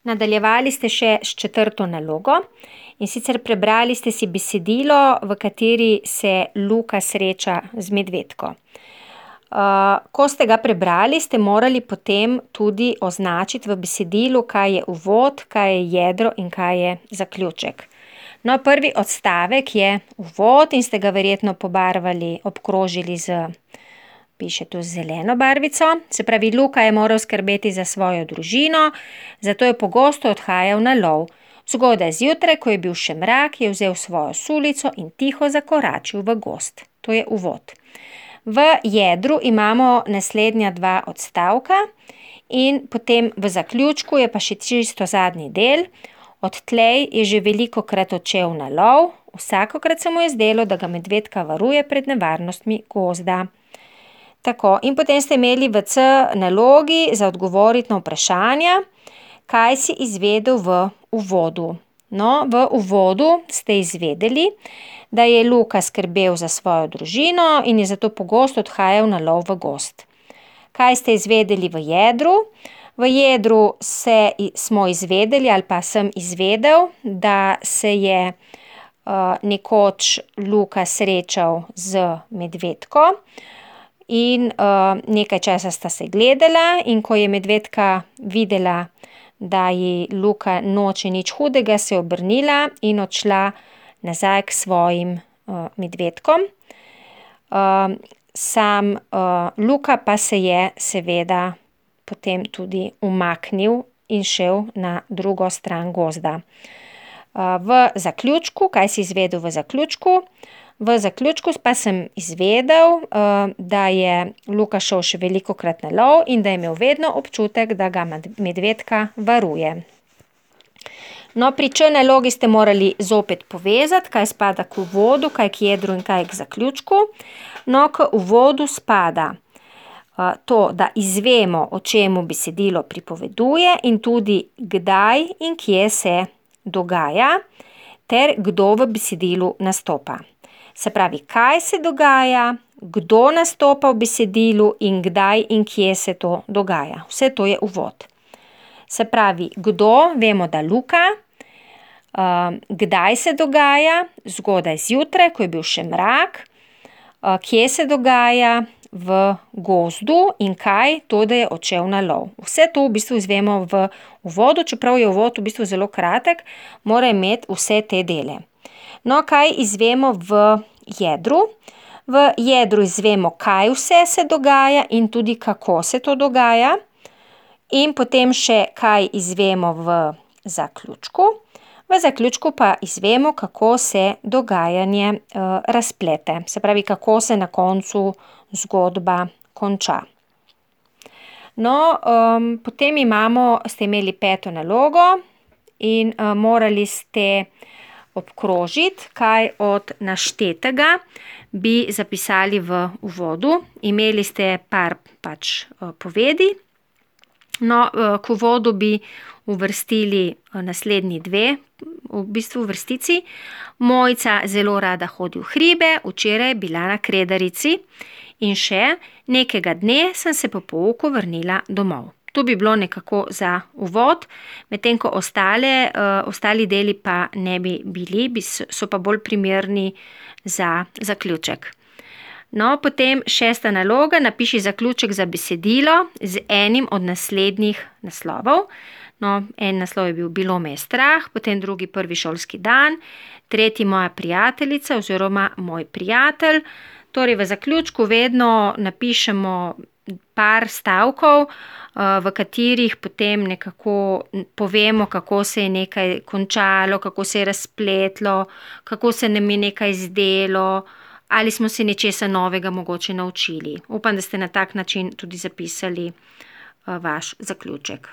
Nadaljevali ste še s 4. nalogo, in sicer prebrali ste si besedilo, v kateri se Luka sreča z medvedko. Ko ste ga prebrali, ste morali potem tudi označiti v besedilu, kaj je uvod, kaj je jedro in kaj je zaključek. No, prvi odstavek je uvod in ste ga verjetno pobarvali, obkrožili piše tu z zeleno barvico. Se pravi, Luka je moral skrbeti za svojo družino, zato je pogosto odhajal na lov. Zgodaj zjutraj, ko je bil še mrak, je vzel svojo sulico in tiho zakoračil v gozd. To je uvod. V jedru imamo naslednja 2 odstavka in potem v zaključku je pa še čisto zadnji del. Odtlej je že velikokrat odšel na lov, vsakokrat se mu je zdelo, da ga medvedka varuje pred nevarnostmi gozda. Tako, in potem ste imeli v C nalogi za odgovoriti na vprašanja, kaj si izvedel v uvodu. No, v uvodu ste izvedeli, da je Luka skrbel za svojo družino in je zato pogosto odhajal na lov v gozd. Kaj ste izvedeli v jedru? V jedru smo izvedeli ali pa sem izvedel, da se je nekoč Luka srečal z medvedko in nekaj časa sta se gledala, in ko je medvedka videla, da ji Luka noče nič hudega, se je obrnila in odšla nazaj k svojim medvedkom. Sam Luka pa se je seveda potem tudi umaknil in šel na drugo stran gozda. V zaključku, kaj si izvedel v zaključku? V zaključku pa sem izvedel, da je Luka šel še velikokrat na lov in da je imel vedno občutek, da ga medvedka varuje. No, pri Č nalogi ste morali zopet povezati, kaj spada k uvodu, kaj k jedru in kaj k zaključku. No, k uvodu spada to, da izvemo, o čemu besedilo pripoveduje in tudi kdaj in kje se dogaja ter kdo v besedilu nastopa. Se pravi, kaj se dogaja, kdo nastopa v besedilu in kdaj in kje se to dogaja. Vse to je uvod. Se pravi, kdo, vemo, da Luka, kdaj se dogaja, zgodaj zjutraj, ko je bil še mrak, kje se dogaja, v gozdu in kaj, to, da je odšel na lov. Vse to v bistvu izvemo v uvodu, čeprav je uvod v bistvu zelo kratek, mora imeti vse te dele. No, kaj izvemo v jedru? V jedru izvemo, kaj vse se dogaja in tudi kako se to dogaja. In potem še, kaj izvemo v zaključku. V zaključku pa izvemo, kako se dogajanje razplete. Se pravi, kako se na koncu zgodba konča. No, potem ste imeli 5. nalogo in morali ste obkrožiti, kaj od naštetega bi zapisali v uvodu. Imeli ste par povedi. No, k uvodu bi uvrstili naslednji 2 v bistvu vrstici. Mojca zelo rada hodi v hribe, včeraj je bila na Kredarici. In še, nekega dne sem se po pouku vrnila domov. To bi bilo nekako za uvod, medtem ko ostali deli pa ne bi bili, so pa bolj primerni za zaključek. No, potem 6. naloga, napiši zaključek za besedilo z enim od naslednjih naslovov. No, en naslov je bil Bilo me je strah, potem drugi Prvi šolski dan, tretji Moja prijateljica oziroma Moj prijatelj. Torej, v zaključku vedno napišemo par stavkov, v katerih potem nekako povemo, kako se je nekaj končalo, kako se je razpletlo, kako se nam je nekaj zdelo, ali smo se nečesa novega mogoče naučili. Upam, da ste na tak način tudi zapisali vaš zaključek.